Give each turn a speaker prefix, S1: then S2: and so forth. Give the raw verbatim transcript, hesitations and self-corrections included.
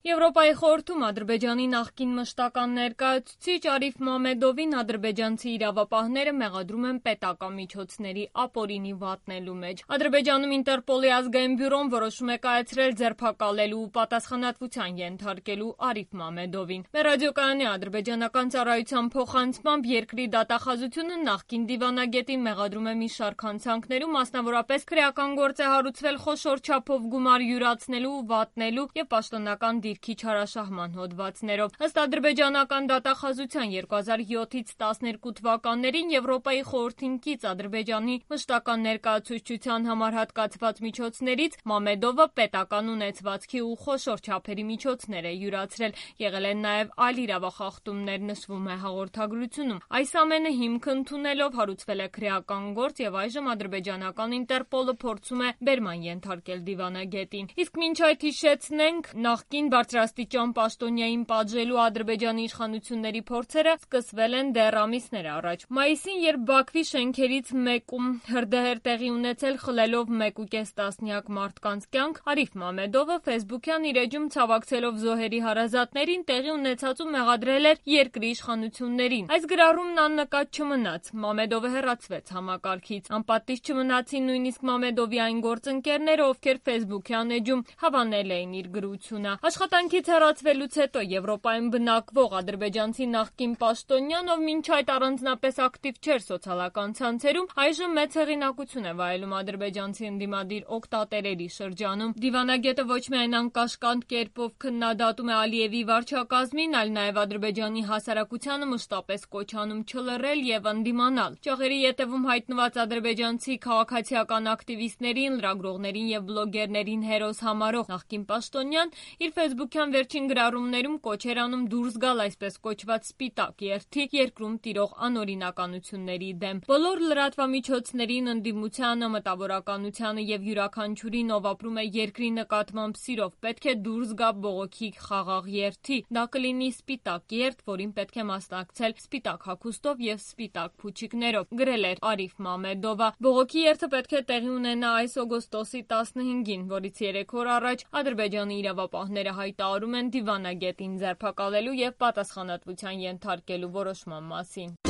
S1: Եվրոպայի խորհրդում Ադրբեջանի նախկին մշտական ներկայացուցիչ Արիֆ Մամեդովին ադրբեջանցի իրավապահները մեղադրում են պետական միջոցների ապօրինի վատնելու մեջ։ Ադրբեջանում Ինտերպոլի ազգային բյուրոն որոշում է կայացրել ձերբակալելու ու պատասխանատվության ենթարկելու Արիֆ Մամեդովին։ Մերրադիոկայանի ադրբեջանական ծառայության փոխանցմամբ երկրի դատախազությունը նախկին դիվանագետին մեղադրում է մի շարք հանցանքներում, մասնավորապես քրեական գործ է հարուցվել խոշոր չափով գումար յուրացնելու, վատնելու և պաշտոնական դիրքի չարաշահման հոդվածներով։ Ըստ ադրբեջանական դատախազության երկու հազար յոթից տասներկու թվականներին Եվրոպայի խորհրդին կից Ադրբեջանի մշտական ներկայացուցչության համար հատկացված միջոցներից Մամեդովը պետական ունեցվածքի ու խոշոր չափերի միջոցներ է յուրացրել։ Եղել են նաև այլ իրավախախտումներ, նշվում է հաղորդագրությունում։ Այս ամենը հիմք ընդունելով հարուցվել է քրեական գործ և այժմ ադրբեջանական Ինտերպոլը փորձում է բերման ենթարկել դիվանագետին։ Իսկ մինչ այդ հիշեցնենք, նախկին բարձրաստիճան պաշտոնյային պատժելու Ադրբեջանի իշխանությունների փորձերը սկսվել են դեռ ամիսներ առաջ։ Մայիսին, երբ Բաքվի շենքերից մեկում հրդեհ տեղի ունեցել խլելով մեկ ու կես տասնյակ մարդկանց կյանք, Արիֆ Մամեդովը ֆեյսբուքյան իր էջում ցավակցելով զոհերի հարազատներին տեղի ունեցածու մեղադրել էր երկրի իշխանություններին։ Այս գրառումն աննկատ չմնաց։ Մամեդովը հեռացվեց համակարգից։ Անպատիժ չմնացին նույնիսկ Մամեդովի այն գործընկերները, ովքեր ֆեյսբուքյան էջում հավանել էին իր գրությունը։ Աշխատանքից հեռացվելուց հետո Եվրոպայում բնակվող ադրբեջանցի նախկին պաշտոնյան, ով մինչ այդ առանձնապես ակտիվ չէր սոցիալական ցանցերում, այժմ մեծ հեղինակություն է վայելում ադրբեջանցի ընդդիմադիր օգտատերերի շրջանում։ Դիվանագետը ոչ միայն անկաշկանդ կերպով քննադատում է Ալիևի վարչակազմին, այլ նաև Ադրբեջանի հասարակությանը մշտապես կոչ անում չլռել և ընդդիմանալ։ Ճյուղերի ետևում հայտնված ադրբեջանցի քաղաքացիական ակտիվիստներին, լրագրողներին և բլոգերներին հերոս համարող նախկին պաշտոնյան իր ֆեյսբուքյան վերջին գրառումներում կոչ էր անում դուրս գալ այսպես կոչված սպիտակ երթի երկրում տիրող անօրինականությունների դեմ։ Բոլոր լրատվամիջոցներին, ընդդիմությանը, մտավորականությանը և յուրաքանչյուրին, ով ապրում է երկրի նկատմամբ սիրով, պետք է դուրս գա բողոքի խաղաղ երթի։ Դա կլինի սպիտակ երթ, որին պետք է մասնակցել սպիտակ հագուստով և սպիտակ փուչիկներով, գրել էր Արիֆ Մամեդովը։ Բողոքի երթը պետք է տեղի ունենա այս օգոստոսի տասնհինգին, որից երեք օր առաջ Ադրբեջանի իրավապահները հայտարարում են դիվանագետին ձերբակալելու և պատասխանատվության ենթարկելու որոշման մասին։